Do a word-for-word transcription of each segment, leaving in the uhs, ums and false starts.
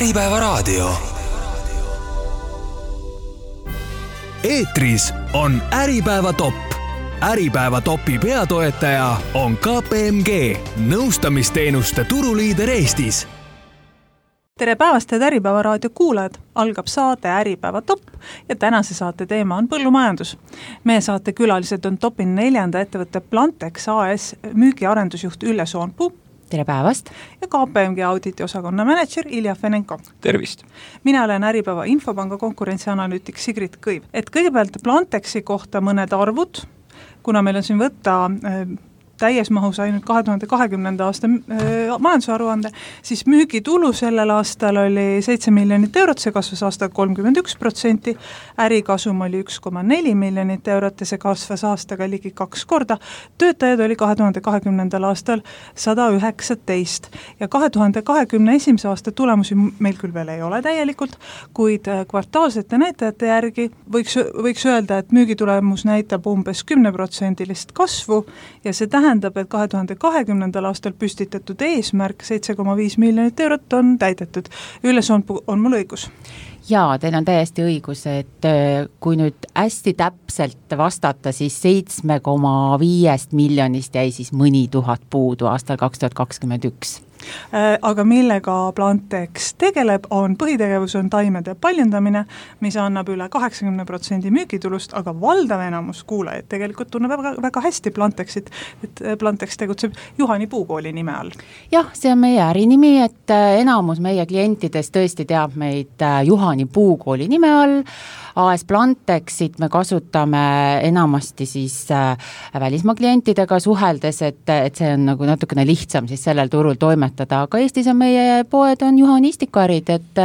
Äripäevaraadio. Eetris on Äripäeva top. Äripäeva topi peatoetaja on K P M G, nõustamisteenuste turuliider Eestis. Tere päevast, et Äripäevaraadio kuulajad! Algab saate Äripäeva top ja tänase saate teema on põllumajandus. Meie saate külalised on topin neljanda ettevõtte Plantex A S müügiarendusjuht Ülle Soonpuu. Tere päevast! Ja K P M G auditi osakonna manager Ilja Fenenko. Tervist! Mina olen Äripäeva infopanga konkurentsianalüütik Sigrid Kõiv. Et kõigepealt Plantexi kohta mõned arvud, kuna meil on siin võtta äh, täies mahus ainult kahe tuhande kahekümnenda aasta äh, majandusaruande, siis müügitulu sellel aastal oli seitse miljonit eurot, see kasvas aastal kolmkümmend üks protsenti, ärikasum oli üks koma neli miljonit eurot ja see kasvas aastaga ligi kaks korda. Töötajad oli kahe tuhande kahekümnendal aastal sada üheksateist ja kahe tuhande kahekümne esimese aasta tulemusi meil küll veel ei ole täielikult, kuid kvartaalsete näitajate järgi võiks, võiks öelda, et müügitulemus näitab umbes kümme protsendilist kasvu ja see tähendab, et kahe tuhande kahekümnendal aastal püstitatud eesmärk seitse koma viis miljonit eurot on täidetud. Ülle Soonpuu, on mul õigus? Jaa, teil on täiesti õigus, et kui nüüd hästi täpselt vastata, siis seitse koma viis miljonist jäi siis mõni tuhat puudu aastal kaks tuhat kakskümmend üks. Aga millega Plantex tegeleb, on põhitegevus on taimede paljundamine, mis annab üle kaheksakümmend protsenti müügitulust, aga valdav enamus kuulajaid tegelikult tunneb väga, väga hästi Plantexit, et Plantex tegutseb Juhani Puukooli nime all. Jah, see on meie ärinimi, et enamus meie klientidest tõesti teab meid Juhani Puukooli nime all. A S Plantexit me kasutame enamasti siis välismaa klientidega suheldes, et, et see on nagu natukene lihtsam siis sellel turul toimetada, aga Eestis on meie poed on Juhani istikuärid, et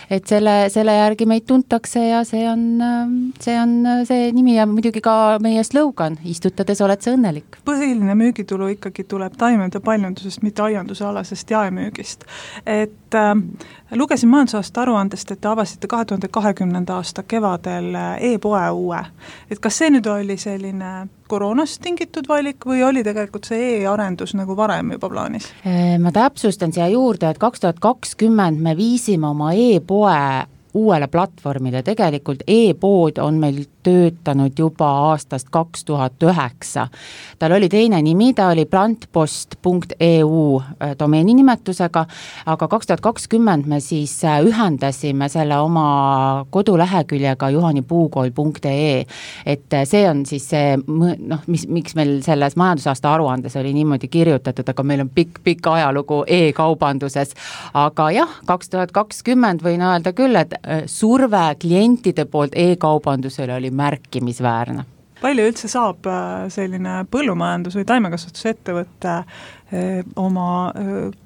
et selle, selle järgi meid tuntakse ja see on, see on see nimi ja muidugi ka meie slogan, istutades oled sa õnnelik. Põhiline müügitulu ikkagi tuleb taimede paljundusest, mitte aianduse alasest jaemüügist. Et äh, lugesin majandusaasta aruandest, et te avasite kahe tuhande kahekümnenda aasta kevadel e-poe uue. Et kas see nüüd oli selline koroonast tingitud valik või oli tegelikult see e-arendus nagu varem juba plaanis? Ma täpsustan siia juurde, et kaks tuhat kakskümmend me viisime oma e-poe uuele platvormile. Tegelikult e-pood on meil töötanud juba aastast kaks tuhat üheksa. Tal oli teine nimi, ta oli plantpost punkt e u domeeni nimetusega, aga kaks tuhat kakskümmend me siis ühendasime selle oma koduleheküljega juhanipuukool punkt e e. Et see on siis see, noh, mis, miks meil selles majandusaasta aruandes oli niimoodi kirjutatud, aga meil on pikk, pikk ajalugu e-kaubanduses. Aga jah, kaks tuhat kakskümmend võin öelda küll, et surve klientide poolt e-kaubandusele oli märkimisväärne. Palju üldse saab selline põllumajandus- või taimekasvatusettevõtte oma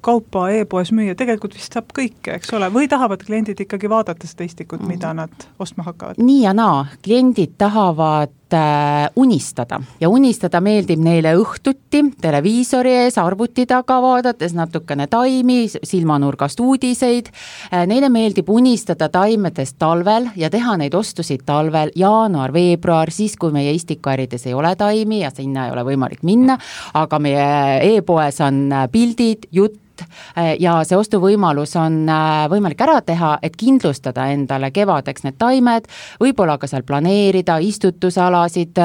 kaupa e-poes müüa? Tegelikult vist saab kõike, eks ole? Või tahavad kliendid ikkagi vaadata seda istikut, mida nad ostma hakkavad? Nii ja naa. Kliendid tahavad unistada ja unistada meeldib neile õhtuti televiisori ees, arvuti taga vaadates natukene taimi, silmanurgast uudiseid. Neile meeldib unistada taimedest talvel ja teha neid ostusid talvel, jaanuar, veebruar, siis kui meie istikuärides ei ole taimi ja sinna ei ole võimalik minna, aga meie e-poes on pildid, jutt ja see ostuvõimalus on võimalik ära teha, et kindlustada endale kevadeks need taimed, võib-olla ka seal planeerida, istutusalasid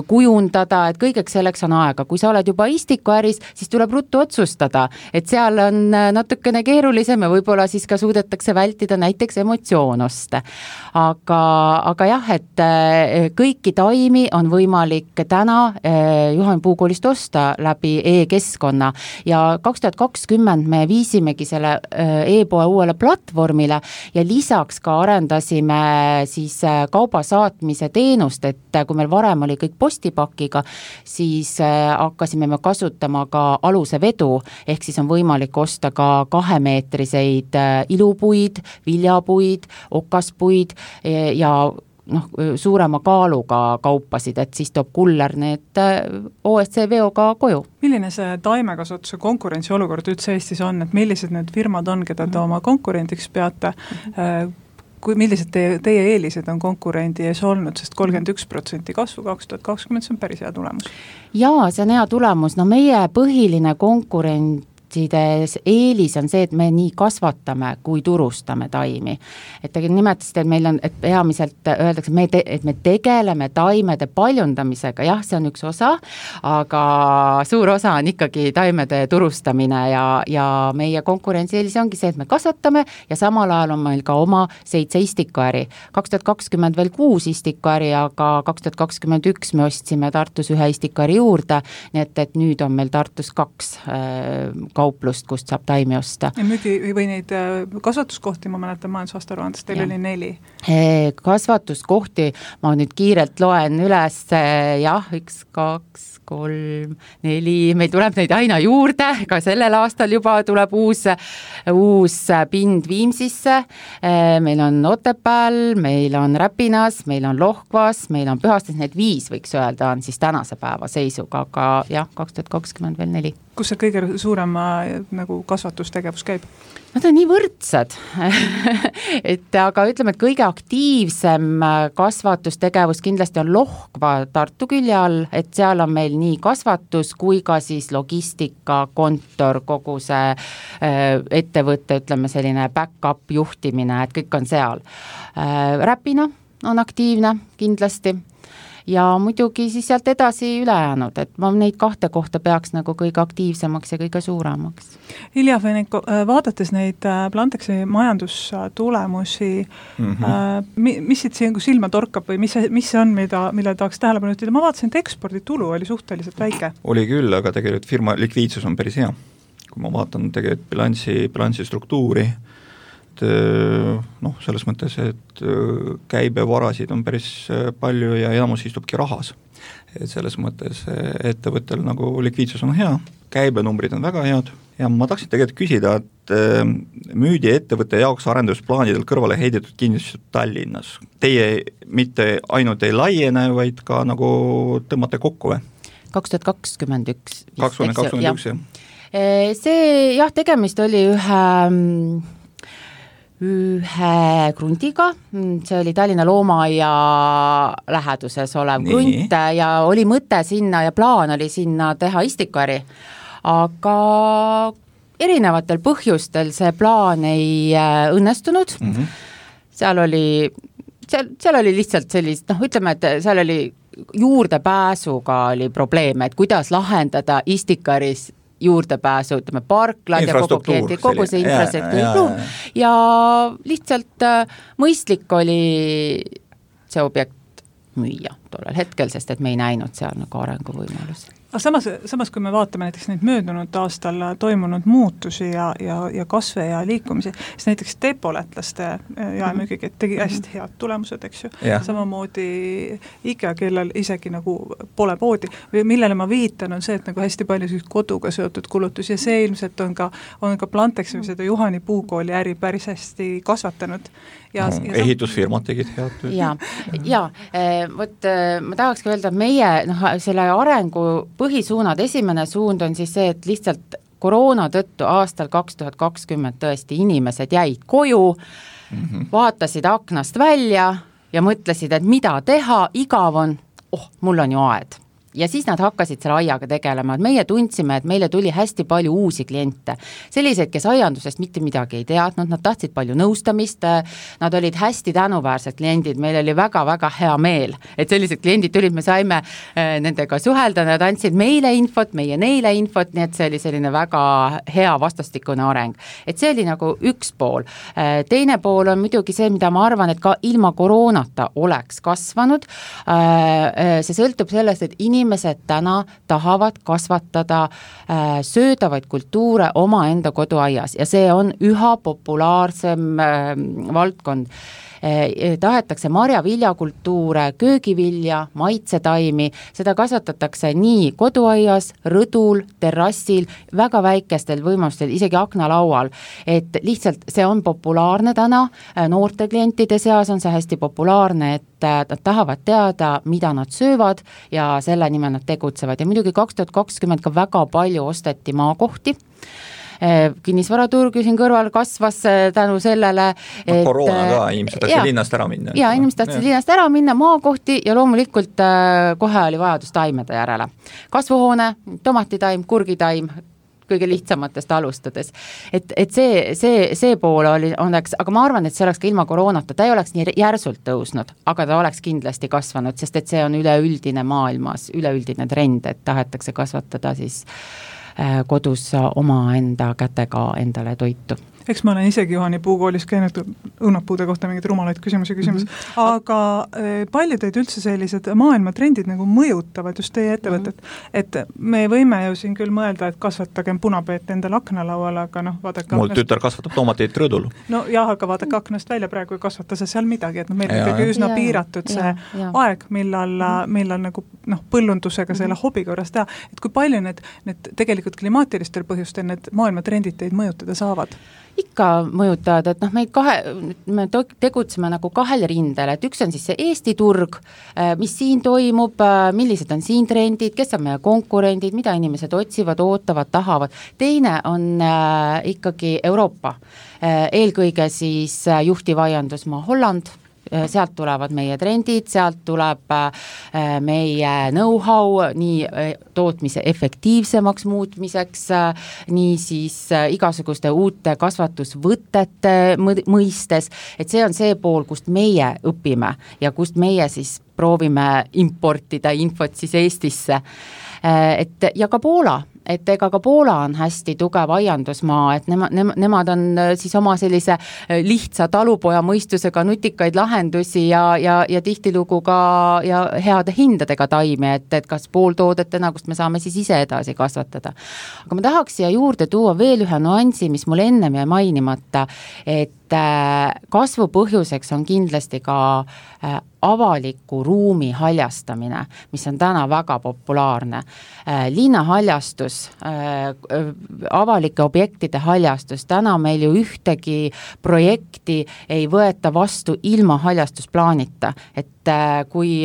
kujundada, et kõigeks selleks on aega. Kui sa oled juba istikuäris, siis tuleb ruttu otsustada, et seal on natukene keerulisem ja võib-olla siis ka suudetakse vältida näiteks emotsioonoste. Aga, aga jah, et kõiki taimi on võimalik täna Juhani Puukoolist osta läbi e-keskkonna ja kaks tuhat kakskümmend me viisimegi selle e-poe uuele platvormile ja lisaks ka arendasime siis kauba saatmise teenust, et kui meil varem oli kõik postipakiga, siis hakkasime me kasutama ka aluse vedu, ehk siis on võimalik osta ka kahemeetriseid ilupuid, viljapuid, okaspuid ja noh, suurema kaaluga kaupasid, et siis toob kuller need O S C veoga koju. Milline see taimekasvatuse konkurentsi olukord üldse Eestis on, et millised need firmad on, keda te oma konkurendiks peate, kui millised teie, teie eelised on konkurendi ees olnud, sest kolmkümmend üks protsenti kasvu kaks tuhat kakskümmend, see on päris hea tulemus. Jaa, see on hea tulemus. No meie põhiline konkurent kompostides eelis on see, et me nii kasvatame kui turustame taimi. Et te nimetasite, et meil on, et peamiselt öeldakse, me te, et me tegeleme taimede paljundamisega, jah, see on üks osa, aga suur osa on ikkagi taimede turustamine ja, ja meie konkurentsieelis ongi see, et me kasvatame ja samal ajal on meil ka oma seitse istikuäri. kaks tuhat kakskümmend veel kuus istikuäri, aga kaks tuhat kakskümmend üks me ostsime Tartus ühe istikuäri juurde, nii et, et nüüd on meil Tartus kaks äh, kauplust, kust saab taimi osta. Ja müügi või neid kasvatuskohti, ma mäletan majandusaasta aruandest, teil ja. oli neli. Kasvatuskohti, ma nüüd kiirelt loen üles, jah, üks, kaks, kolm, neli, meil tuleb neid aina juurde, ka sellel aastal juba tuleb uus, uus pind Viimsisse, meil on Otepääl, meil on Räpinas, meil on Lohkvas, meil on Pühastes, need viis võiks öelda on siis tänase päeva seisuga, aga jah, kaks tuhat kakskümmend veel neli. Kus see kõige suurem nagu kasvatustegevus käib? Nad on nii võrdsed, et aga ütleme, et kõige aktiivsem kasvatustegevus kindlasti on Lohkva Tartu külje all, et seal on meil nii kasvatus kui ka siis logistika, kontor, kogu see ettevõtte, ütleme selline back-up juhtimine, et kõik on seal. Räpina on aktiivne kindlasti. Ja muidugi siis sealt edasi ülejäänud, et ma neid kahte kohta peaks nagu kõige aktiivsemaks ja kõige suuremaks. Ilja Feniko, vaadates neid Plantexi majandustulemusi, mm-hmm. mis siit siin silma torkab või mis, mis see on, mida, mille tahaks tähelepanu ütelda? Ma vaatasin, et eksporditulu oli suhteliselt väike. Oli küll, aga tegelikult firma likviidsus on päris hea. Kui ma vaatan tegelikult bilansi, bilansi struktuuri, noh, selles mõttes, et käibevarasid on päris palju ja enamus istubki rahas. Et selles mõttes ettevõttel nagu likviidsus on hea, käibenumbrid on väga head ja ma tahtsin tegelikult küsida, et müüdi ettevõtte jaoks arendusplaanidel kõrvale heidetud kinnistused Tallinnas. Teie mitte ainult ei laiene, vaid ka nagu tõmmate kokku või? kaks tuhat kakskümmend üks. kaks tuhat kakskümmend üks, jah. See, jah, tegemist oli ühe ühe krundiga, see oli Tallinna Loomaaia läheduses olev Nii. krunt ja oli mõte sinna ja plaan oli sinna teha istikuäri, aga erinevatel põhjustel see plaan ei õnnestunud, mm-hmm. seal oli, seal, seal oli lihtsalt sellist, noh, ütleme, et seal oli juurdepääsuga oli probleeme, et kuidas lahendada istikuäris juurdepääsu, ütleme, parklad ja kogu klienti, kogu see infrastruktuur ja, ja, ja lihtsalt mõistlik oli see objekt müüa tollel hetkel, sest et me ei näinud seal nagu arenguvõimalusi. Aga samas, samas, kui me vaatame näiteks neid möödunud aastal toimunud muutusi ja, ja, ja kasve ja liikumisi, siis näiteks depolätlaste jaemüügi tegi hästi head tulemused, eks ju. Ja. Samamoodi IKEA, kellel isegi nagu pole poodi, millele ma viitan, on see, et nagu hästi palju koduga seotud kulutus ja see ilmselt on ka, on ka Plantexi või seda Juhani puukooli äri päris hästi kasvatanud. Ja, no, ja ehitusfirmad tegid head tööd. Ja, ja võt, ma tahakski öelda, et meie noh, selle arengu põhisuunad, esimene suund on siis see, et lihtsalt koroona tõttu aastal kaks tuhat kakskümmend tõesti inimesed jäid koju, mm-hmm. vaatasid aknast välja ja mõtlesid, et mida teha, igav on, oh, mul on ju aed. Ja siis nad hakkasid selle aiaga tegelema, et meie tundsime, et meile tuli hästi palju uusi kliente. Selliseid, kes aiandusest mitte midagi ei teadnud, nad tahtsid palju nõustamist, nad olid hästi tänuväärsed kliendid, meil oli väga-väga hea meel, et sellised kliendid tulid, me saime nendega suhelda, nad andsid meile infot, meie neile infot, nii et see oli selline väga hea vastastikune areng. Et see oli nagu üks pool. Teine pool on muidugi see, mida ma arvan, et ka ilma koroonata oleks kasvanud. See sõltub sellest, et inimesed Inimesed täna tahavad kasvatada äh, söödavaid kultuure oma enda koduaias ja see on üha populaarsem äh, valdkond. Eh, tahetakse marja-viljakultuure, köögivilja, maitsetaimi, seda kasvatatakse nii koduaias, rõdul, terrassil, väga väikestel võimalustel, isegi aknalaual, et lihtsalt see on populaarne täna, noorte klientide seas on see hästi populaarne, et nad tahavad teada, mida nad söövad ja selle nimel nad tegutsevad ja muidugi kaks tuhat kakskümmend ka väga palju osteti maakohti, kinnisvaraturg siin kõrval kasvas tänu sellele, et no, koroona ka, inimesed tahtsid linnast ära minna. Ja, inimesed tahtsid linnast ära minna, maakohti ja loomulikult kohe oli vajadus taimede järele. Kasvuhoone, tomatitaim, kurgitaim, kõige lihtsamatest alustades. Et, et see, see, see pool oli, oleks, aga ma arvan, et see oleks ka ilma koroonata, ta ei oleks nii järsult tõusnud, aga ta oleks kindlasti kasvanud, sest et see on üleüldine maailmas, üleüldine trend, et tahetakse kasvatada siis kodus omaenda kätega endale toitu. Eks ma olen isegi Juhani puukoolis käinud õunapuude kohta mingeid rumalaid küsimusi küsimus, mm-hmm. aga palju teid üldse sellised maailmatrendid nagu mõjutavad just teie ettevõtet, mm-hmm. et me võime ju siin küll mõelda, et kasvatagem punapeet endale aknalauale, aga noh, vaadake mul aknast... tütar kasvatab toomateid rõdul. No jah, aga vaadake aknast välja praegu ei kasvata see seal midagi, et no meil on ikkagi üsna ja, piiratud see ja, ja. aeg, millal, mm-hmm. millal nagu noh, põllundusega selle mm-hmm. hobi korras teha, et kui palju need, need tegelikult klimaatilistel põhjustel need maailmatrendid teid mõjutada saavad? Ikka mõjutavad, et noh, me kahe, me tegutseme nagu kahel rindel, et üks on siis see Eesti turg, mis siin toimub, millised on siin trendid, kes on meie konkurendid, mida inimesed otsivad, ootavad, tahavad. Teine on äh, ikkagi Euroopa, eelkõige siis juhtiv aiandusmaa Holland, sealt tulevad meie trendid, sealt tuleb meie know-how nii tootmise efektiivsemaks muutmiseks, nii siis igasuguste uute kasvatusvõtete mõistes, et see on see pool, kust meie õpime ja kust meie siis proovime importida infot siis Eestisse. Et ja ka Poola, et ega ka Poola on hästi tugev aiandusmaa, et nema, nema, nemad on siis oma sellise lihtsa talupoja mõistusega nutikaid lahendusi ja, ja, ja tihtilugu ka ja heade hindadega taimi, et, et kas pooltoodetena, kust me saame siis ise edasi kasvatada. Aga ma tahaks siia juurde tuua veel ühe nuansi, mis mul ennem jäi mainimata, et kasvu põhjuseks on kindlasti ka avaliku ruumi haljastamine, mis on täna väga populaarne. Linnahaljastus, avalike objektide haljastus, täna meil ju ühtegi projekti ei võeta vastu ilma haljastusplaanita, et kui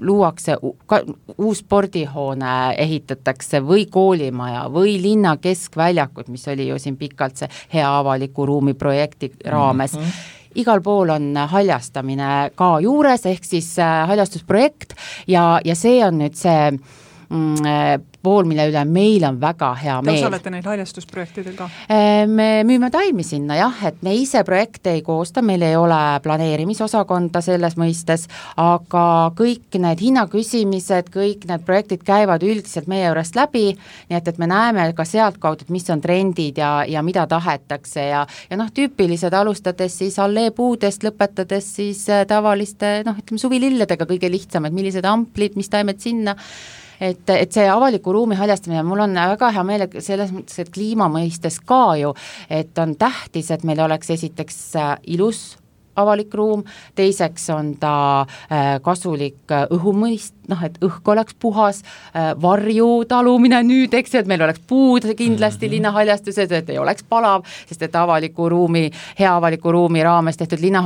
luuakse uus spordihoone ehitatakse või koolimaja või linna keskväljakud, mis oli ju siin pikalt see hea avaliku ruumi projekti raames, mm-hmm. igal pool on haljastamine ka juures, ehk siis haljastusprojekt ja, ja see on nüüd see mm, pool, mille üle meil on väga hea meel. Te osalete neid haljastusprojektidel ka? Me müüme taimi sinna, jah, et me ise projekte ei koosta, meil ei ole planeerimisosakonda selles mõistes, aga kõik need hinnaküsimised, kõik need projektid käivad üldiselt meie juurest läbi, nii et, et me näeme ka sealt kaudu, mis on trendid ja, ja mida tahetakse ja, ja noh, tüüpilised alustades siis alleepuudest, lõpetades siis tavaliste, noh, ütleme suvililledega kõige lihtsam, et millised amplid, mis taimed sinna, Et, et see avaliku ruumi haljastamine, mul on väga hea meel selles mõttes, et kliima mõistes ka ju, et on tähtis, et meil oleks esiteks ilus avalik ruum, teiseks on ta kasulik õhumõist, noh, et õhk oleks puhas, varju talumine nüüd, eks, et meil oleks puud kindlasti mm-hmm. linnahaljastused, et ei oleks palav, sest et avaliku ruumi, hea avaliku ruumi raames tehtud linna,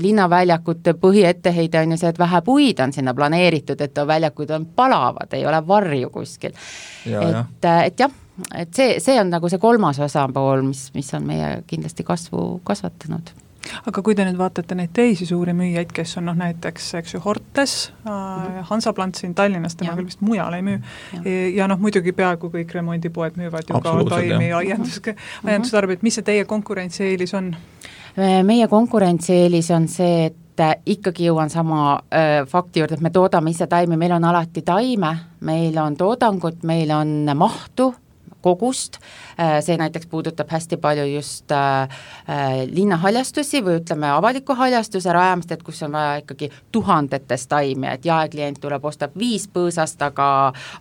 linnaväljakute põhietteheide on ju see, et vähe puid on sinna planeeritud, et väljakud on palavad, ei ole varju kuskil. Ja, et, et jah, et see, see on nagu see kolmas osapool, mis, mis on meie kindlasti kasvu kasvatanud. Aga kui te nüüd vaatate neid teisi suuri müüjaid, kes on noh, näiteks eks ju Hortes, mm-hmm. Hansaplant siin Tallinnas, tema küll vist mujal ei müü, ja, ja noh, muidugi peaaegu kõik remondipoed müüvad ju ka taimi ja aiandustarbeid, mis see teie konkurentsieelis on? Meie konkurentsieelis on see, et ikkagi jõuan sama äh, fakti juurde, et me toodame ise taimi, meil on alati taime, meil on toodangut, meil on mahtu, kogust, see näiteks puudutab hästi palju just linnahaljastusi või ütleme avaliku haljastuse rajamist, et kus on vaja ikkagi tuhandetes taimi, et jaeklient tuleb, ostab viis põõsast, aga,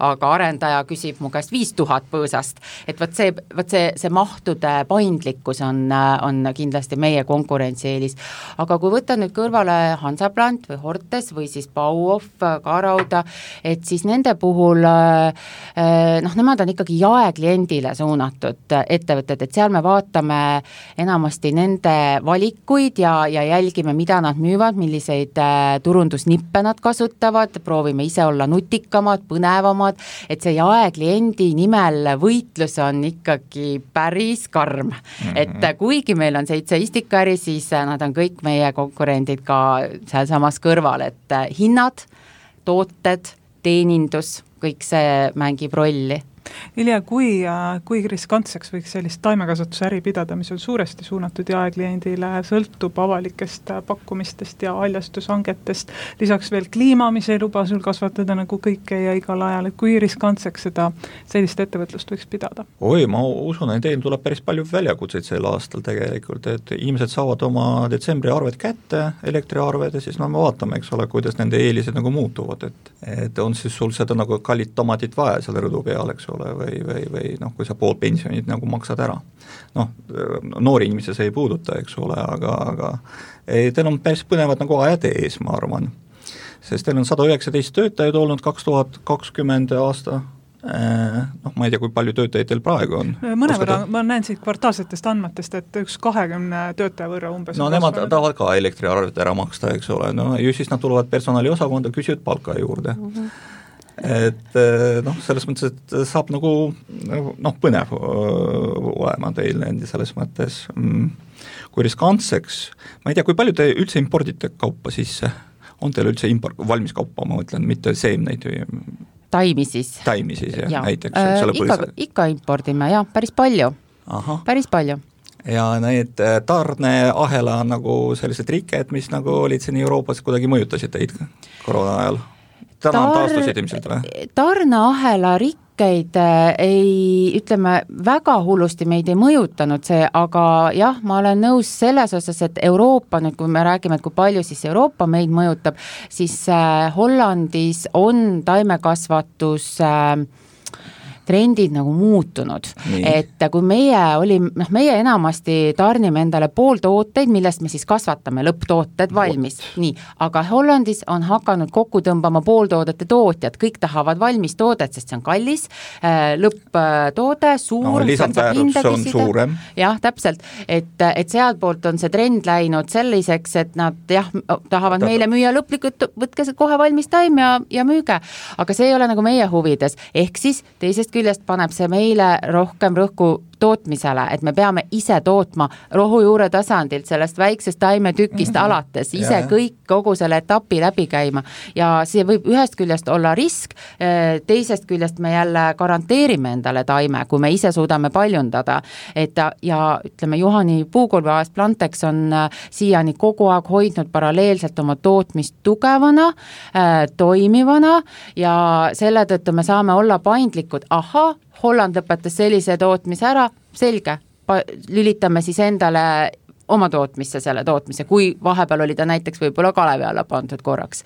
aga arendaja küsib mu käest viis tuhat põõsast, et võt see, võt see, see mahtude paindlikkus on, on kindlasti meie konkurentsieelis, aga kui võtta nüüd kõrvale Hansaplant või Hortes või siis Bauhof, Kaarauda, et siis nende puhul noh, nemad on ikkagi jaeklient kliendile suunatud ettevõtted, et seal me vaatame enamasti nende valikuid ja, ja jälgime, mida nad müüvad, milliseid turundusnippe nad kasutavad, proovime ise olla nutikamad, põnevamad, et see jaekliendi nimel võitlus on ikkagi päris karm. Mm-hmm. Et kuigi meil on seitse istikari, siis nad on kõik meie konkurendid ka seal samas kõrval, et hinnad, tooted, teenindus, kõik see mängib rolli. Ilja, kui, kui riskantseks võiks sellist taimekasvatuse äri pidada, mis on suuresti suunatud jaekliendile, sõltub avalikest pakkumistest ja haljastushangetest, lisaks veel kliima, mis ei luba sul kasvatada nagu kõike ja igal ajal, et kui riskantseks seda sellist ettevõtlust võiks pidada? Oi, ma usun, et teil tuleb päris palju väljakutseid sel aastal tegelikult, et inimesed saavad oma detsembri arved kätte, elektriarved ja siis no me vaatame, eks ole, kuidas nende eelised nagu muutuvad, et, et on siis sul seda nagu kallid tomatit vaja selle rõdu peal, eks ole, või, või, või noh, kui sa pool pensionit nagu maksad ära. Noh, noori inimesi see ei puuduta, eks ole, aga, aga ei, teil on päris põnevad nagu ajad ees, ma arvan. Sest teil on sada üheksateist töötajaid olnud kaks tuhat kakskümmend aasta, noh, ma ei tea, kui palju töötajaid teil praegu on. Mõne võrra, ma näen siit kvartaalsetest andmetest, et üks kahekümne töötaja võrra umbes. No nemad tahavad ka elektriarvet ära maksta, eks ole, no ju siis nad tulevad personaliosakonda, küsivad palka juurde. Mm-hmm. Et noh, selles mõttes, et saab nagu noh, põnev olema teil selles mõttes, kui riskantseks, ma ei tea, kui palju te üldse impordite kaupa sisse, on teil üldse import, valmis kaupa, ma mõtlen, mitte seemneid või taimi siis. Taimi siis, jah, ja. näiteks. Äh, ikka, ikka impordime, jah, päris palju. Aha. Päris palju. Ja need tarneahela nagu sellised rikked, mis nagu olid siin Euroopas, kuidagi mõjutasid teid koroona ajal? Täna Tar- taastusid ilmselt või? Tarneahela rikkeid ei, ütleme, väga hullusti meid ei mõjutanud see, aga jah, ma olen nõus selles osas, et Euroopa, nüüd kui me räägime, et kui palju siis Euroopa meid mõjutab, siis äh, Hollandis on taimekasvatus äh, trendid nagu muutunud, nii. Et kui meie oli, noh, meie enamasti tarnime endale pooltooteid, millest me siis kasvatame lõpptooted valmis, nii, aga Hollandis on hakanud kokku tõmbama pooltoodete tootjad, kõik tahavad valmis toodet, sest see on kallis, lõpptoode, suur, no, lisandväärus on suurem. Jah, täpselt, et, et sealt poolt on see trend läinud selliseks, et nad jah, tahavad Täpselt. Meile müüa lõplikult, võtke see kohe valmis taim ja, ja müüge, aga see ei ole nagu meie huvides, ehk siis teisest küljest paneb see meile rohkem rõhku tootmisele, et me peame ise tootma rohujuure tasandilt, sellest väiksest taimetükist mm-hmm. alates, ise ja, kõik kogu selle etapi läbi käima ja see võib ühest küljest olla risk, teisest küljest me jälle garanteerime endale taime, kui me ise suudame paljundada, et ja ütleme, Juhani puukulveaast Plantex on siiani kogu aeg hoidnud paralleelselt oma tootmist tugevana, toimivana ja selle tõttu me saame olla paindlikud, aha, Holland lõpetas sellise tootmise ära, selge, lülitame siis endale oma tootmisse selle tootmise, kui vahepeal oli ta näiteks võib-olla Kalevi alla pandud korraks.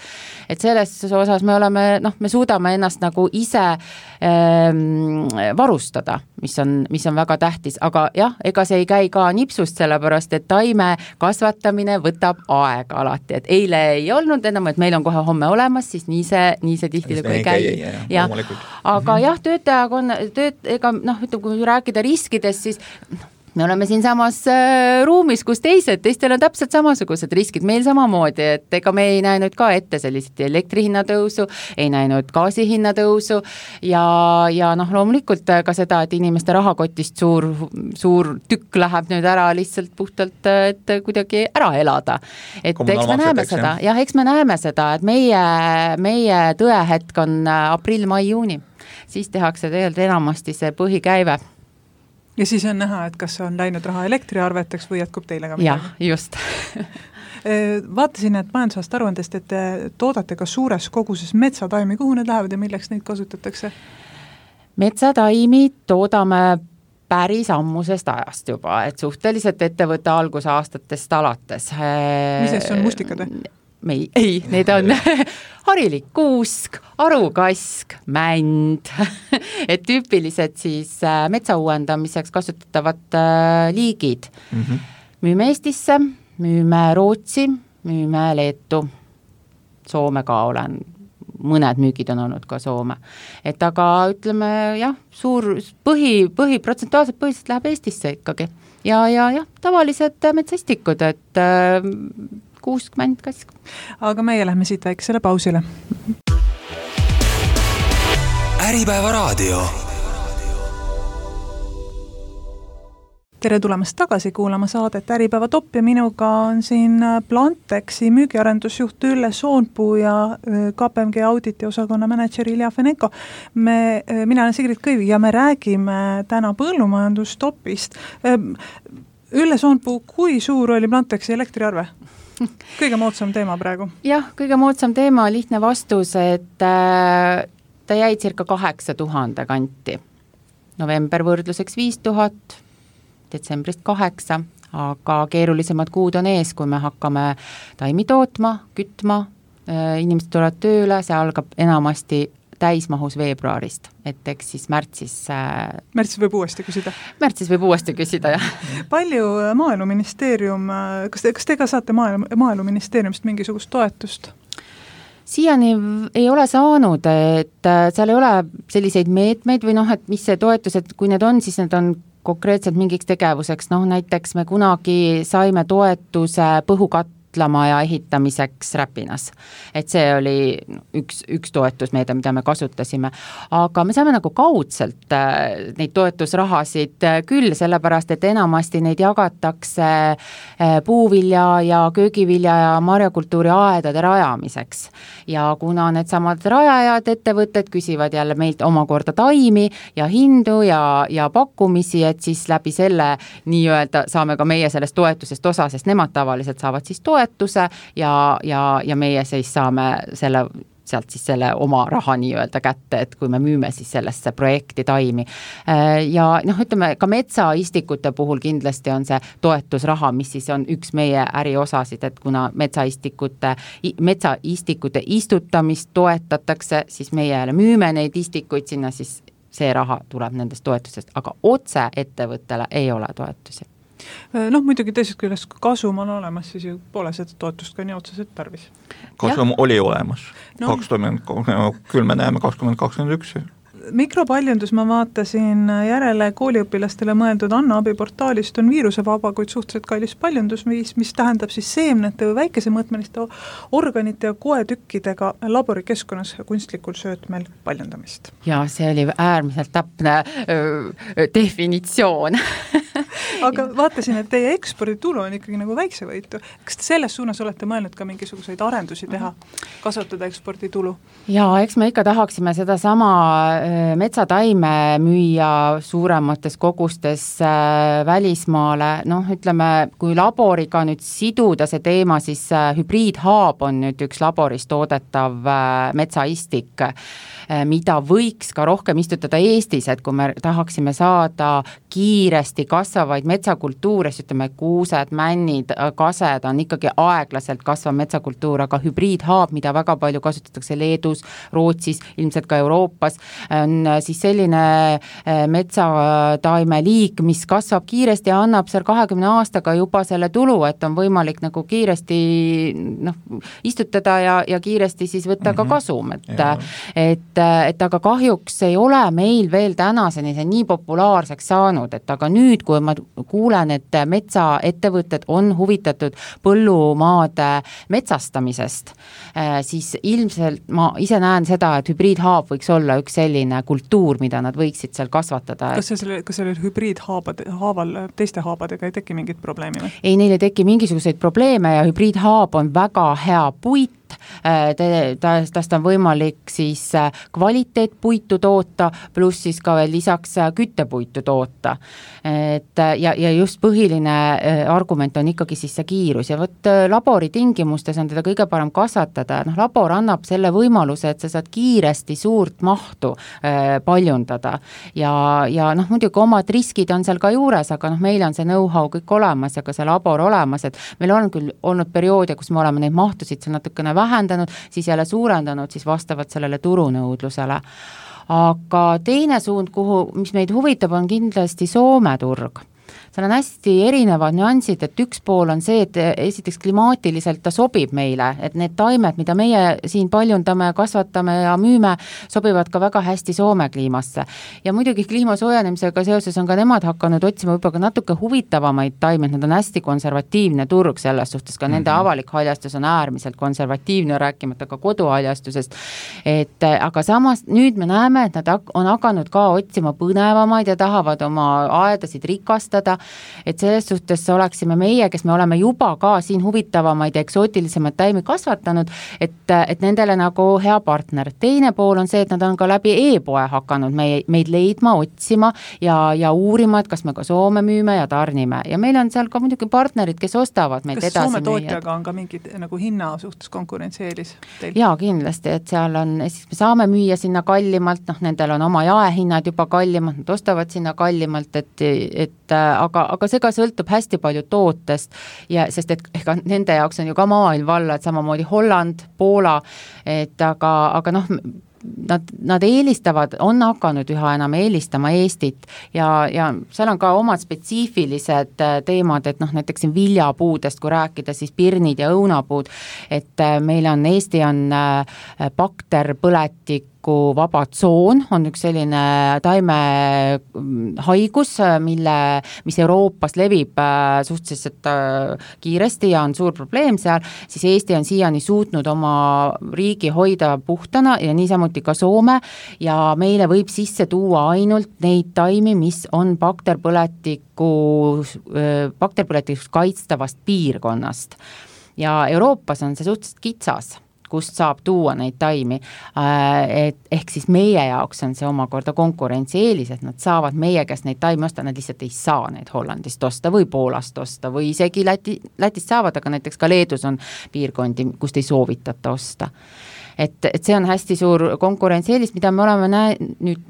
Et selles osas me oleme, noh, me suudame ennast nagu ise ähm, varustada, mis on, mis on väga tähtis, aga jah, ega see ei käi ka nipsust, sellepärast, et taime kasvatamine võtab aega alati, et eile ei olnud enam, et meil on kohe homme olemas, siis nii see, nii see tihti ei käi. Ja, ja. Aga jah, töötajag on, tööt, ega noh, ütleme, kui rääkida riskidest, siis me oleme siin samas äh, ruumis, kus teised, teistel on täpselt samasugused riskid, meil samamoodi, et ega me ei näinud ka ette sellised elektrihinna tõusu, ei näinud gaasihinna tõusu ja, ja noh, loomulikult ka seda, et inimeste rahakotist suur, suur tükk läheb nüüd ära lihtsalt puhtalt, et kuidagi ära elada. Et eks me näeme seda, jah, eks me näeme seda, et meie, meie tõehetk on aprill, mai, juuni. Siis tehakse tegelikult enamasti see põhikäive. Ja siis on näha, et kas on läinud raha elektriarveteks või jätkub teile ka midagi? Jah, just. Vaatasin, et majandusaasta aruandest, et te toodate ka suures koguses metsataimi, kuhu need lähevad ja milleks neid kasutatakse? Metsataimi toodame päris ammusest ajast juba, et suhteliselt ettevõtte algusaastatest alates. Mis on mustikad või? Ei, ei, need on harilik kuusk, arukask, mänd, et tüüpilised siis metsa uuendamiseks kasutatavad liigid. Mm-hmm. Müüme Eestisse, müüme Rootsi, müüme Leetu, Soome ka olen, mõned müügid on olnud ka Soome. Et aga ütleme, jah, suur põhi, põhi, protsentuaalselt põhiliselt läheb Eestisse ikkagi. Ja, ja, jah, tavalised metsastikud, et kuuskümmend kask. Aga meie lähme siit väiksele pausile. Äripäeva raadio. tere tulemast tagasi kuulama saadet Äripäeva Top ja minuga on siin Plantexi müügiarendusjuht Ülle Soonpuu ja K P M G auditi osakonna manager Ilja Feneko. Me, mina olen Sigrid Kõivi ja me räägime täna põllumajandustopist. Ülle Soonpuu, kui suur oli Plantexi elektriarve? Kõige moodsam teema praegu. Jah, kõige moodsam teema, lihtne vastus, et ta jäi cirka kaheksa tuhande kanti. November võrdluseks viis tuhat, detsembrist kaheksa, aga keerulisemad kuud on ees, kui me hakkame taimi tootma, kütma, inimesed tulevad tööle, see algab enamasti täismahus veebruarist, et eks siis märtsis... Märtsis võib uuesti küsida? Märtsis võib uuesti küsida, jah. Palju Maaeluministeerium, kas te, kas te ka saate Maaelu, Maaeluministeeriumist mingisugust toetust? Siiani ei ole saanud, et seal ei ole selliseid meetmeid või noh, et mis see toetused, kui need on, siis need on konkreetselt mingiks tegevuseks, noh näiteks me kunagi saime toetuse põhukatlamaja ehitamiseks Räpinas, et see oli üks, üks toetusmeede, mida me kasutasime, aga me saame nagu kaudselt neid toetusrahasid küll, sellepärast et enamasti neid jagatakse puuvilja ja köögivilja ja marjakultuuri aedade rajamiseks ja kuna need samad rajajad ettevõtted küsivad jälle meilt omakorda taimi ja hindu ja, ja pakkumisi, et siis läbi selle nii-öelda saame ka meie sellest toetusest osa, sest nemad tavaliselt saavad siis toetuse ja, ja, ja meie siis saame selle, sealt siis selle oma raha nii-öelda kätte, et kui me müüme siis sellesse projekti taimi. Ja noh, ütleme, ka metsaistikute puhul kindlasti on see toetusraha, mis siis on üks meie äriosasid, et kuna metsaistikute, metsaistikute istutamist toetatakse, siis meie müüme neid istikuid sinna, siis see raha tuleb nendest toetusest, aga otse ettevõttele ei ole toetusi. Noh, muidugi teisest küljest, kui kasum on olemas, siis ju pole seda toetust ka nii otseselt tarvis. Kasum ja. Oli olemas. No. kakskümmend, küll me näeme kakskümmend kakskümmend üks. Mikropaljundus ma vaatasin järele kooliõpilastele mõeldud Anna abiportaalist on viirusevaba, kuid suhteliselt kallis paljundusviis, mis tähendab siis seemnete või väikese mõõtmeliste organite ja koetükkidega laborikeskkonnas kunstlikul söötmel paljundamist. Ja see oli äärmiselt täpne öö, definitsioon. Aga vaatasin, et teie eksporditulu on ikkagi nagu väiksevõitu. Kas te selles suunas olete mõelnud ka mingisuguseid arendusi teha, kasvatada eksporditulu? Ja eks me ikka tahaksime seda sama metsataime müüa suuremates kogustes välismaale, noh ütleme, kui laboriga nüüd siduda see teema, siis hübriidhaab on nüüd üks laboris toodetav metsaistik, mida võiks ka rohkem istutada Eestis, et kui me tahaksime saada kiiresti kasvavaid metsakultuure, siis ütleme kuused, männid, kased on ikkagi aeglaselt kasvav metsakultuur, aga hübriidhaab, mida väga palju kasutatakse Leedus, Rootsis, ilmselt ka Euroopas, on siis selline metsataime liik, mis kasvab kiiresti ja annab seal kahekümne aastaga juba selle tulu, et on võimalik nagu kiiresti noh, istutada ja, ja kiiresti siis võtta mm-hmm. ka kasum, et, et, et aga kahjuks ei ole meil veel tänaseni see nii populaarseks saanud, et aga nüüd, kui ma kuulen, et metsaettevõtted on huvitatud põllumaade metsastamisest, siis ilmselt ma ise näen seda, et hübriidhaab võiks olla üks selline kultuur, mida nad võiksid seal kasvatada. Kas selle, kas selle hübriidhaabade, haaval teiste haabadega ei teki mingit probleemi? Või? Ei, neil ei teki mingisuguseid probleeme ja hübriidhaab on väga hea puit, tast on võimalik siis kvaliteetpuitu toota, pluss siis ka veel lisaks küttepuitu toota. Et, ja, ja just põhiline argument on ikkagi siis see kiirus ja võt labori tingimustes on teda kõige parem kasvatada. Noh, labor annab selle võimaluse, et sa saad kiiresti suurt mahtu äh, paljundada ja, ja noh, muidugi omad riskid on seal ka juures, aga noh, meil on see know-how kõik olemas ja ka see labor olemas, et meil on küll olnud perioode, kus me oleme neid mahtusid seal natukene vähendanud, siis jälle suurendanud, siis vastavalt sellele turunõudlusele. Aga teine suund, kuhu, mis meid huvitab, on kindlasti Soome turg. Seal on hästi erinevad nüansid, et üks pool on see, et esiteks klimaatiliselt ta sobib meile, et need taimed, mida meie siin paljundame, kasvatame ja müüme, sobivad ka väga hästi Soome kliimasse. Ja muidugi kliima soojenemisega seoses on ka nemad hakanud otsima võib-olla natuke huvitavamaid taimed, nad on hästi konservatiivne turg selles suhtes, ka mm-hmm. nende avalik haljastus on äärmiselt konservatiivne, rääkimata ka koduhaljastusest. Et, aga samas nüüd me näeme, et nad on hakanud ka otsima põnevamaid ja tahavad oma aedasid rikastada et selles suhtes oleksime meie, kes me oleme juba ka siin huvitavamaid ja eksootilisemaid taimi kasvatanud, et, et nendele nagu hea partner. Teine pool on see, et nad on ka läbi e-poe hakanud meie, meid leidma, otsima ja, ja uurima, et kas me ka Soome müüme ja tarnime. Ja meil on seal ka muidugi partnerid, kes ostavad meid kas edasi. Soome tootjaga on ka mingid nagu hinna suhtes konkurentsieelis teil? Jaa, kindlasti, et seal on, siis me saame müüa sinna kallimalt, noh, nendel on oma jaehinnad juba kallimalt, nad ostavad sinna kallimalt, et, et aga, aga see ka sõltub hästi palju tootest, ja, sest et ega nende jaoks on ju ka maailm valla, et samamoodi Holland, Poola, et aga, aga noh, Nad, nad eelistavad, on hakanud üha enam eelistama Eestit ja, ja seal on ka omad spetsiifilised teemad, et noh, näiteks siin viljapuudest, kui rääkida, siis pirnid ja õunapuud, et meil on, Eesti on bakterpõletik vaba tsoon, on üks selline taime haigus, mille, mis Euroopas levib suhteliselt kiiresti ja on suur probleem seal, siis Eesti on siiani suutnud oma riigi hoida puhtana ja niisamuti ka Soome ja meile võib sisse tuua ainult neid taimi, mis on bakterpõletiku, bakterpõletikust kaitstavast piirkonnast. Ja Euroopas on see suhteliselt kitsas, kust saab tuua neid taimi, et ehk siis meie jaoks on see omakorda konkurentsieelis, et nad saavad meie käest neid taimi osta, nad lihtsalt ei saa neid Hollandist osta või Poolast osta või isegi Läti, Lätist saavad, aga näiteks ka Leedus on piirkondi, kust ei soovitata osta. Et, et see on hästi suur konkurentsieelis, mida me oleme näe, nüüd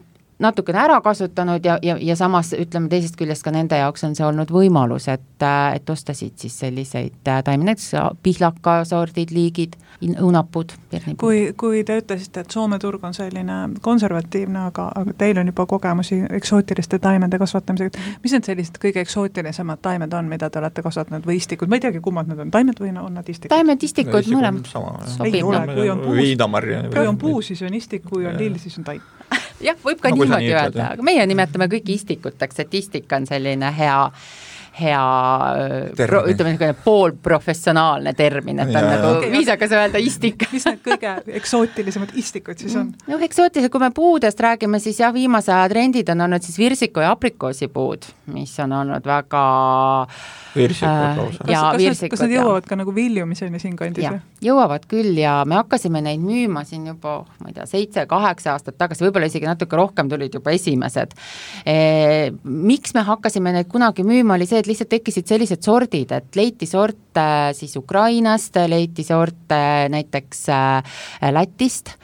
natukene ära kasutanud ja, ja, ja samas ütleme teisest küljest ka nende jaoks on see olnud võimalus, et, et ostasid siis selliseid taimi, näiteks pihlakasordid, liigid, õunapud, pirnipud. Kui, kui te ütlesite, et Soome turg on selline konservatiivne, aga, aga teil on juba kogemusi eksootiliste taimede kasvatamisega, mis need sellised kõige eksootilisemad taimed on, mida te olete kasvatanud või istikud? Ma ei teagi, kummad need on, taimed või on nad istikud? Taimed, istikud, mõlemad sobib. Ei ole, kui on puus, kui on puu, siis on istik, kui on lill, siis on taim. Jah, võib ka no, niimoodi öelda, aga meie nimetame kõiki istikuteks, et istik on selline hea, hea pro, ütleme, poolprofessionaalne termin, et on ja, nagu okay, viisakas öelda istik. Mis need kõige eksootilisemad istikud siis on? No eksootilised, kui me puudest räägime, siis jah, viimase aja trendid on olnud siis virsiku ja aprikoosipuud, mis on olnud väga virsikud lausa. Kas, kas, virsikud, kas nad jõuavad ka nagu viljumiseni siin kandis? Ja, jõuavad küll ja me hakkasime neid müüma siin juba, ma ei tea, seitse, kaheksa aastat tagasi, võib-olla isegi natuke rohkem tulid juba esimesed. E, miks me hakkasime neid kunagi müüma, oli see, et lihtsalt tekkisid sellised sordid, et leiti sorte siis Ukrainast, leiti sorte näiteks Lätist,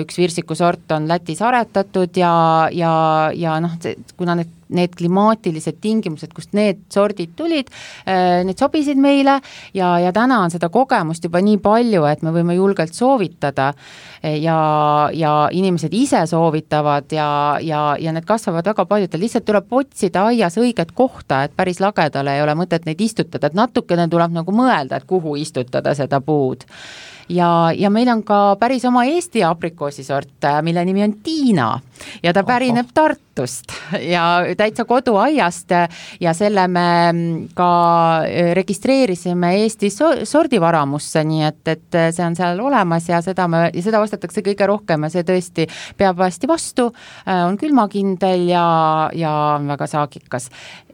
üks virsikusort on Lätis aretatud ja, ja, ja noh, kuna need need klimaatilised tingimused, kust need sordid tulid, need sobisid meile ja, ja täna on seda kogemust juba nii palju, et me võime julgelt soovitada ja, ja inimesed ise soovitavad ja, ja, ja need kasvavad väga paljudel. Lihtsalt tuleb otsida aias õiget kohta, et päris lagedale ei ole mõtet neid istutada, et natukene tuleb nagu mõelda, et kuhu istutada seda puud. Ja, ja meil on ka päris oma Eesti aprikoosisort, mille nimi on Tiina ja ta pärineb Tartust ja täitsa koduaiast ja selle me ka registreerisime Eesti sordivaramusse, nii et, et see on seal olemas ja seda, me, ja seda ostetakse kõige rohkem ja see tõesti peab hästi vastu, on külmakindel ja, ja on väga saagikas.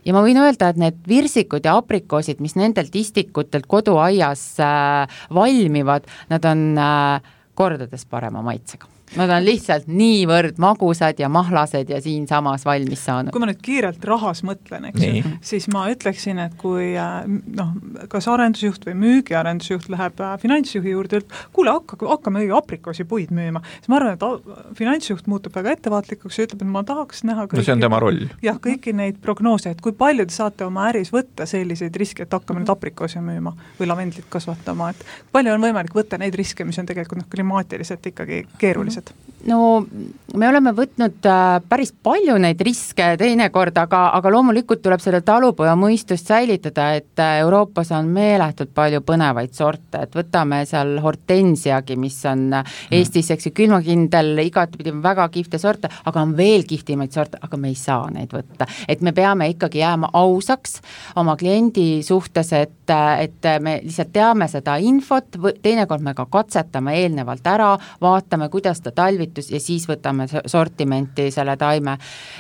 Ja ma võin öelda, et need virsikud ja aprikoosid, mis nendelt istikutelt koduaias äh, valmivad, nad on äh, kordades parema maitsega. Nad on lihtsalt niivõrd magusad ja mahlased ja siin samas valmis saanud. Kui ma nüüd kiirelt rahas mõtlen, eks ju, siis ma ütleksin, et kui noh, kas arendusjuht või müügiarendusjuht läheb finantsjuhi juurde, kuule, hakka, hakkame õige aprikoosi puid müüma, siis ma arvan, et finantsjuht muutub väga ettevaatlikuks ja ütleb, et ma tahaks näha kõiki, no see on tema roll. Jah, kõiki neid prognoose, et kui palju te saate oma äris võtta selliseid riske, et hakkame nüüd aprikoosi müüma või lavendlit kasvatama, et palju on võimalik võtta neid riske, mis on tegelikult noh, klimaatiliselt ikkagi keerulised? No me oleme võtnud päris palju neid riske teinekord, aga, aga loomulikult tuleb seda talupoja mõistust säilitada, et Euroopas on meeletult palju põnevaid sorte, et võtame seal hortensiagi, mis on Eestis, eks ju, külmakindel, igatpidi väga kihvte sorte, aga on veel kihtimaid sorte, aga me ei saa neid võtta. Et me peame ikkagi jääma ausaks oma kliendi suhtes, et, et me lihtsalt teame seda infot, teinekord me ka katsetame eelnevalt ära, vaatame, kuidas aasta talvitus ja siis võtame sortimenti selle taime.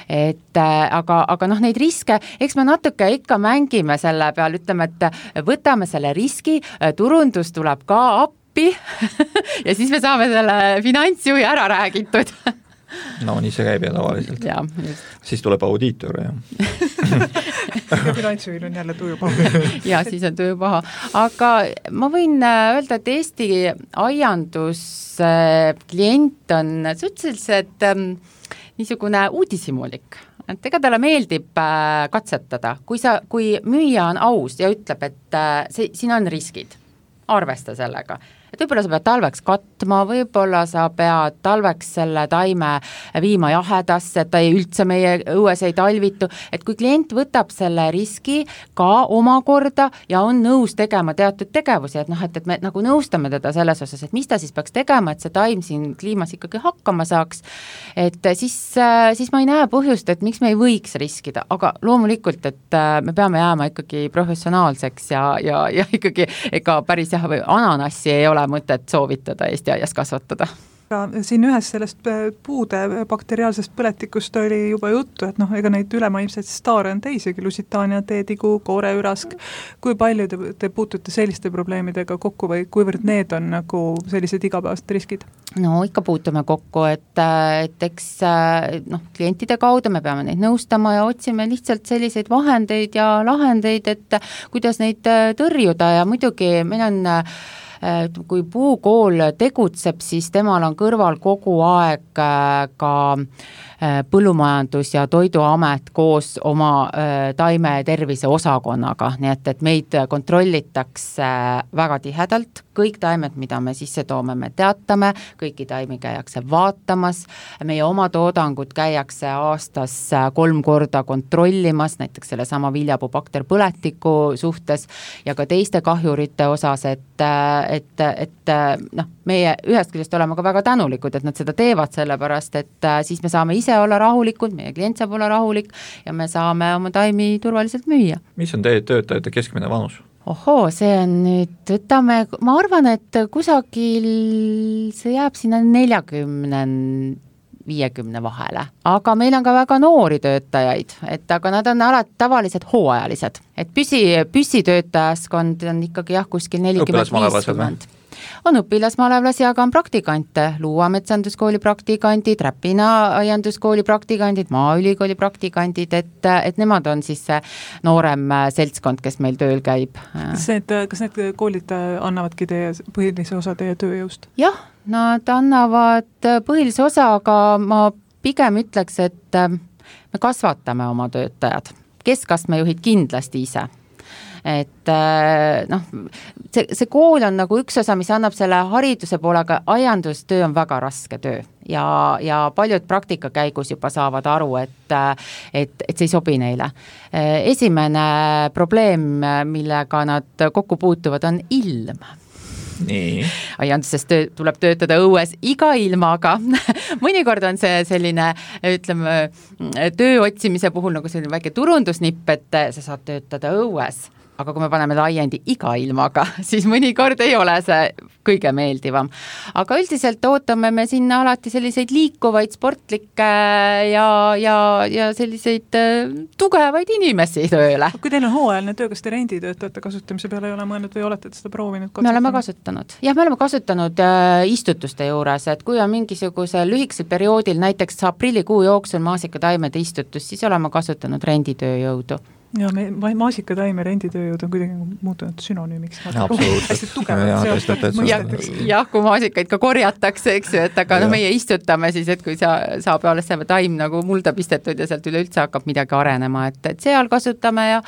Et aga, aga noh, neid riske, eks me natuke ikka mängime selle peal, ütleme, et võtame selle riski, turundus tuleb ka appi ja siis me saame selle finantsjuhi ära räägitud. No nii see käib ja tavaliselt. Ja, siis tuleb audiitor ja ja finantsjuhil on jälle tuju paha. ja siis on tuju paha. Aga ma võin öelda, et Eesti aiandus klient on suhteliselt niisugune uudisimulik. Et ega talle meeldib katsetada, kui, sa, kui müüja on aus ja ütleb, et see, siin on riskid, arvesta sellega. Et võib-olla sa pead talveks katma, võib-olla sa pead talveks selle taime viima jahedasse, et ta ei üldse meie õues ei talvitu, et kui klient võtab selle riski ka omakorda ja on nõus tegema teatud tegevusi, et noh, et, et me nagu nõustame teda selles osas, et mis ta siis peaks tegema, et see taim siin kliimas ikkagi hakkama saaks, et siis, siis ma ei näe põhjust, et miks me ei võiks riskida, aga loomulikult, et me peame jääma ikkagi professionaalseks ja, ja, ja ikkagi ega päris jah, või ananassi ei ole mõtet soovitada Eesti aias kasvatada. Siin ühes sellest puude bakteriaalsest põletikust oli juba juttu, et noh, ega neid ülemaimseid staare on teisegi, Lusitaania, teetigu, kooreürask. Kui palju te, te puutute selliste probleemidega kokku või kuivõrd need on nagu sellised igapäevased riskid? No ikka puutume kokku, et, et eks noh, klientide kaudu me peame neid nõustama ja otsime lihtsalt selliseid vahendeid ja lahendeid, et kuidas neid tõrjuda ja muidugi meil on kui puukool tegutseb, siis temal on kõrval kogu aeg ka Põllumajandus- ja Toiduamet koos oma taime tervise osakonnaga, nii et, et meid kontrollitakse väga tihedalt, kõik taimed, mida me sisse toome, me teatame, kõiki taimi käiakse vaatamas, meie oma toodangut käiakse aastas kolm korda kontrollimas, näiteks selle sama viljapuu bakterpõletiku suhtes ja ka teiste kahjurite osas, et, et, et noh, meie ühest küljest oleme ka väga tänulikud, et nad seda teevad, sellepärast, et siis me saame ise olla rahulikud, meie klient saab olla rahulik ja me saame oma taimi turvaliselt müüa. Mis on teie töötajate keskmine vanus? Ohoo, see on nüüd, võtame, ma arvan, et kusagil see jääb sinna neljakümne viiekümne vahele, aga meil on ka väga noori töötajaid, et aga nad on alati tavalised hooajalised, et püsi, püsitöötajaskond on ikkagi jah, kuskil nelikümmend viiskümmend. On õpilasmalevlasi, aga on praktikante, Luua metsanduskooli praktikandid, Räpina aianduskooli praktikandid, Maaülikooli praktikandid, et, et nemad on siis see noorem seltskond, kes meil tööl käib. Kas need, kas need koolid annavadki teie põhilise osa teie tööjõust? Jah, nad annavad põhilise osa, aga ma pigem ütleks, et me kasvatame oma töötajad. Keskastme juhid kindlasti ise. Et noh, see, see kool on nagu üks osa, mis annab selle hariduse poole, aga aiandustöö on väga raske töö ja, ja paljud praktika käigus juba saavad aru, et, et, et see ei sobi neile. Esimene probleem, millega nad kokku puutuvad, on ilm. Nii. Aianduses töö, tuleb töötada õues iga ilmaga. Mõnikord on see selline, ütleme, töö otsimise puhul nagu selline väike turundusnipp, et sa saad töötada õues. Aga kui me paneme laiendi iga ilmaga, siis mõnikord ei ole see kõige meeldivam. Aga üldiselt ootame me sinna alati selliseid liikuvaid sportlikke ja, ja, ja selliseid tugevaid inimesi tööle. Kui teil on hooajaline töö, kas te renditöötajate kasutamise peale ei ole mõelnud või olete seda proovinud? Me oleme kasutanud. Jah, me oleme kasutanud istutuste juures, et kui on mingisugusel lühikesel perioodil, näiteks aprillikuu jooksul maasikataimede istutus, siis oleme kasutanud renditööjõudu. Ja me, maasikataime renditööjõud on kuidagi muutunud sünonüümiks. Hästi tugevad. Jah, kui maasikaid ka korjatakse, eks ju, et aga no meie istutame siis, et kui sa, saab alles see taim nagu mulda pistetud ja sealt üleüldse hakkab midagi arenema, et, et seal kasutame ja,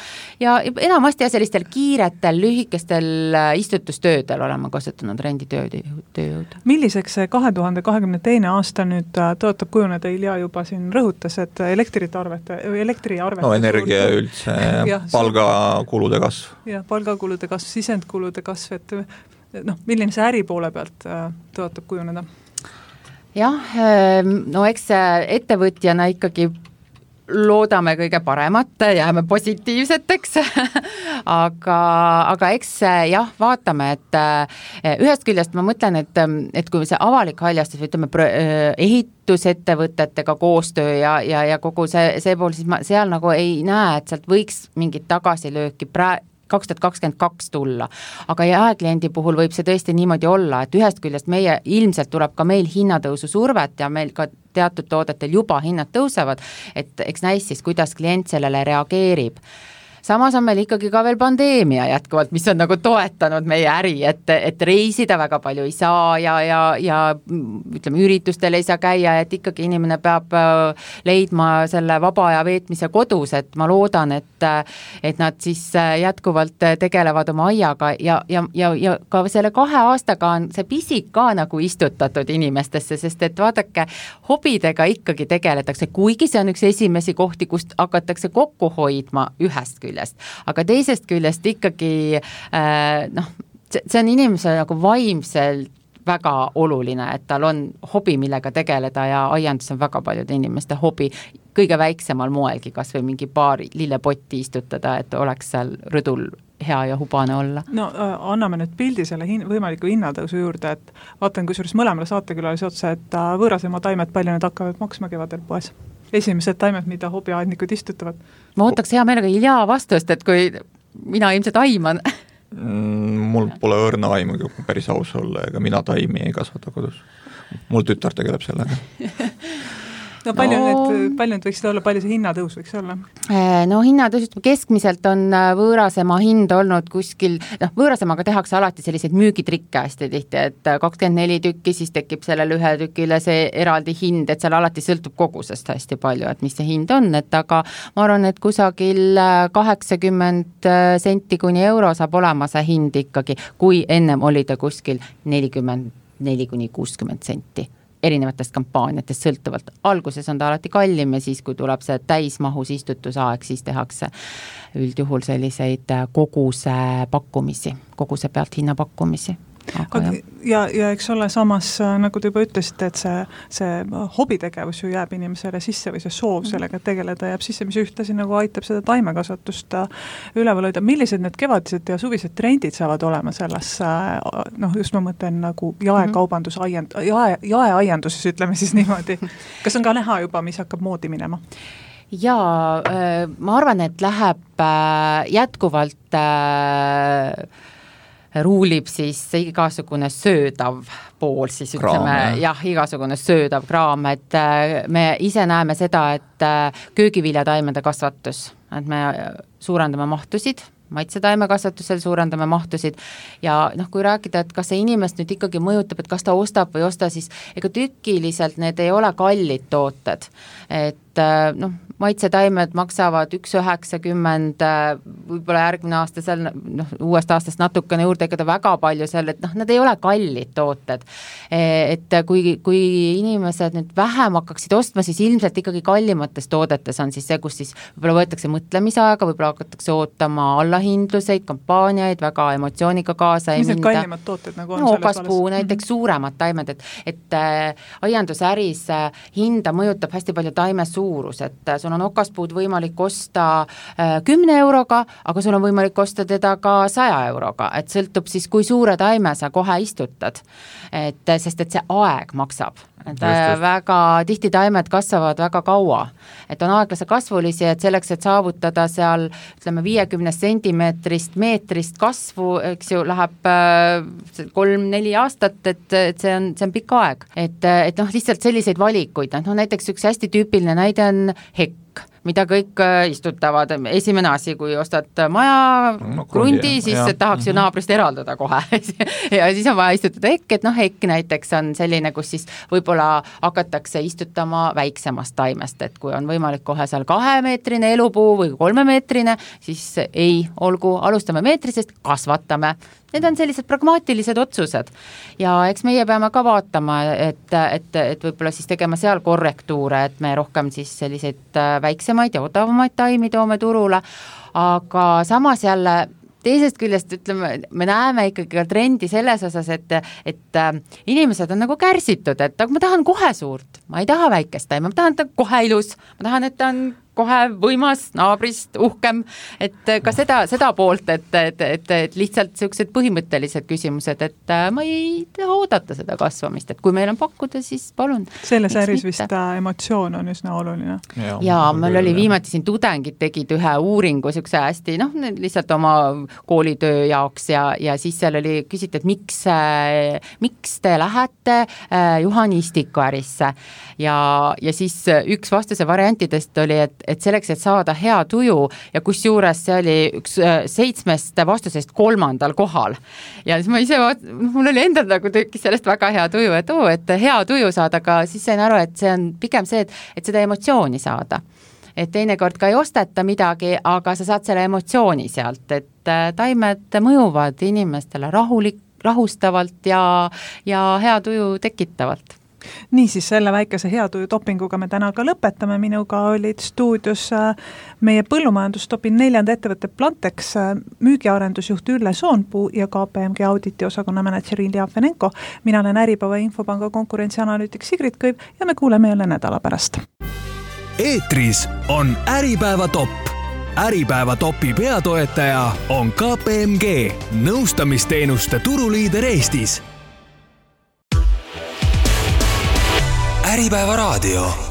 ja enamasti ja sellistel kiiretel, lühikestel istutustöödel oleme kasutanud renditööjõud. Milliseks see kahe tuhande kahekümne teine aasta nüüd tõotab kujuneda, Ilja juba siin rõhutas, et elektriarvete, elektriarvete no energia üldse ja, palgakulude kasv. Ja, palgakulude kasv, sisendkulude kasv, et noh, milline see äri poole pealt tõotab kujuneda? Jah, no eks ettevõtjana ikkagi loodame kõige paremat, jääme positiivseteks aga, aga eks jah, vaatame, et ühest küljest ma mõtlen, et, et kui see avalik haljastus, ütleme ehitusettevõtetega koostöö ja, ja, ja kogu see, see pool, siis ma seal nagu ei näe, et sealt võiks mingit tagasilööki pra- kaks tuhat kakskümmend kaks tulla, aga jaekliendi puhul võib see tõesti niimoodi olla, et ühest küljest meie ilmselt tuleb ka meil hinnatõusu survet ja meil ka teatud toodetel juba hinnad tõusevad, et eks näis siis, kuidas klient sellele reageerib. Samas on meil ikkagi ka veel pandeemia jätkuvalt, mis on nagu toetanud meie äri, et, et reisida väga palju ei saa ja, ja, ja ütleme, üritustel ei saa käia, et ikkagi inimene peab leidma selle vaba aja veetmise kodus, et ma loodan, et, et nad siis jätkuvalt tegelevad oma aiaga ja, ja, ja, ja ka selle kahe aastaga on see pisik ka nagu istutatud inimestesse, sest et vaadake, hobidega ikkagi tegeletakse, kuigi see on üks esimesi kohti, kust hakatakse kokku hoidma ühest küljest. Aga teisest küljest ikkagi äh, noh, see on inimese nagu vaimselt väga oluline, et tal on hobi, millega tegeleda ja aiandus on väga paljude inimeste hobi kõige väiksemal moelgi, kas või mingi paar lillepotti istutada, et oleks seal rõdul hea ja hubane olla. No äh, anname nüüd pildi selle hin- võimaliku hinnatõusu juurde, et vaatan kusjuures mõlemale saatekülalise otsa, et äh, võõrasema taimed palju need hakkavad maksma kevadel poes. Esimesed taimed, mida hobiaednikud istutavad. Ma ootaks hea meelega Ilja vastust, et kui mina ilmselt aiman. Mul pole õrna aimu, kui päris aus olla, ega mina taimi ei kasvata kodus. Mul tütar tegeleb sellega. No palju, no, need, palju need võiksid olla, palju see hinnatõus võiks olla? No hinnatõus keskmiselt on võõrasema hind olnud kuskil, noh võõrasemaga tehakse alati selliseid müügitrikke hästi tihti, et kakskümmend neli tükki, siis tekib sellele ühe tükile see eraldi hind, et seal alati sõltub kogusest hästi palju, et mis see hind on, et aga ma arvan, et kusagil kaheksakümmend senti kuni euro saab olema see hind ikkagi, kui ennem oli ta kuskil nelikümmend neli kuni kuuskümmend senti. Erinevatest kampaaniatest sõltuvalt. Alguses on ta alati kallim ja siis, kui tuleb see täismahus istutusaeg, siis tehakse üldjuhul selliseid koguse pakkumisi, koguse pealt hinnapakkumisi. Aga aga, ja, ja eks ole samas, nagu te juba ütlesite, et see, see hobitegevus ju jääb inimesele sisse või see soov sellega tegeleda jääb sisse, mis ühtlasi nagu aitab seda taimekasvatust üleval hoida. Millised need kevadised ja suvised trendid saavad olema selles, noh just ma mõtlen nagu jaekaubandus, aiand, jae, jaeaianduses, ütleme siis niimoodi. Kas on ka näha juba, mis hakkab moodi minema? Jaa, ma arvan, et läheb jätkuvalt ruulib siis igasugune söödav pool, siis ütleme, kraam, jah, igasugune söödav kraam, et me ise näeme seda, et köögiviljataimede kasvatus, et me suurendame mahtusid, maitsetaimekasvatusel suurendame mahtusid ja noh, kui rääkida, et kas see inimest nüüd ikkagi mõjutab, et kas ta ostab või osta, siis ega tükiliselt need ei ole kallid tooted, et noh, maitsetaimed maksavad üks üheksakümmend, võib-olla järgmine aasta seal, noh, uuest aastast natukene juurde ekada väga palju seal, et noh, nad ei ole kallid tooted. Et kui, kui inimesed nüüd vähem hakkaksid ostma, siis ilmselt ikkagi kallimates toodetes on siis see, kus siis võib-olla võetakse mõtlemisaega, võib-olla hakatakse ootama allahindluseid, kampaaniaid, väga emotsiooniga kaasa mis need kallimad tooted nagu on? No, okaspuu, näiteks mm-hmm. suuremad taimed, et, et äh, aiandusäris äh, hinda mõjutab hästi palju taime suurus, et äh, sul on okaspuud võimalik osta kümne euroga, aga sul on võimalik osta teda ka saja euroga, et sõltub siis, kui suure taime sa kohe istutad, et, sest et see aeg maksab. Et just, väga tihti taimed kasvavad väga kaua, et on aeglase kasvulisi, et selleks, et saavutada seal ütleme viiekümne sentimeetrist meetrist kasvu, eks ju, läheb kolm-neli aastat, et, et see on, see on pikk aeg, et, et noh, lihtsalt selliseid valikuid, no näiteks üks hästi tüüpiline näide on hekk, mida kõik istutavad. Esimene asi, kui ostad maja no, krundi, siis ja. tahaks ju naabrist eraldada kohe ja siis on vaja istutada hekk, et noh, hekk näiteks on selline, kus siis võib-olla hakatakse istutama väiksemast taimest, et kui on võimalik kohe seal kahemeetrine elupuu või kolmemeetrine, siis ei, olgu, alustame meetrisest, kasvatame. Need on sellised pragmaatilised otsused ja eks meie peame ka vaatama, et, et, et võib-olla siis tegema seal korrektuure, et me rohkem siis selliseid väiksemaid ja odavamaid taimi toome turule, aga samas jälle teisest küljest ütleme, me näeme ikkagi ka trendi selles osas, et, et inimesed on nagu kärsitud, et aga ma tahan kohe suurt, ma ei taha väikest taimi, ma tahan, et ta kohe ilus, ma tahan, et ta on kohe võimas, naabrist uhkem, et ka seda, seda poolt, et, et, et, et lihtsalt sellised põhimõttelised küsimused, et ma ei taha oodata seda kasvamist, et kui meil on pakkuda, siis palun. Selles äris vist emotsioon on üsna oluline. Ja, ja meil oli viimati siin tudengid tegid ühe uuringu siukse hästi, noh, lihtsalt oma koolitöö jaoks ja, ja siis seal oli küsitud, et miks, miks te lähete juhanistiku ärisse ja, ja siis üks vastuse variantidest oli, et, et selleks, et saada hea tuju ja kus juures see oli üks seitsmest vastusest kolmandal kohal. Ja siis ma ise, mul oli endal nagu tekkis sellest väga hea tuju, et oo, et hea tuju saada, aga siis sain aru, et see on pigem see, et, et seda emotsiooni saada. Et teinekord ka ei osteta midagi, aga sa saad selle emotsiooni sealt, et taimed mõjuvad inimestele rahulik, rahustavalt ja, ja hea tuju tekitavalt. Niisiis, selle väikese heatuju topinguga me täna ka lõpetame. Minuga olid stuudios meie põllumajandustopi neljanda ettevõtte Plantex müügiarendusjuht Ülle Soonpuu ja K P M G auditi osakonna manager Ilja Fenenko. Mina olen Äripäeva Infopanga konkurentsianalüütik Sigrid Kõiv ja me kuuleme jälle nädala pärast. Eetris on Äripäeva top. Äripäeva topi peatoetaja on K P M G, nõustamisteenuste turuliider Eestis. Äripäeva raadio.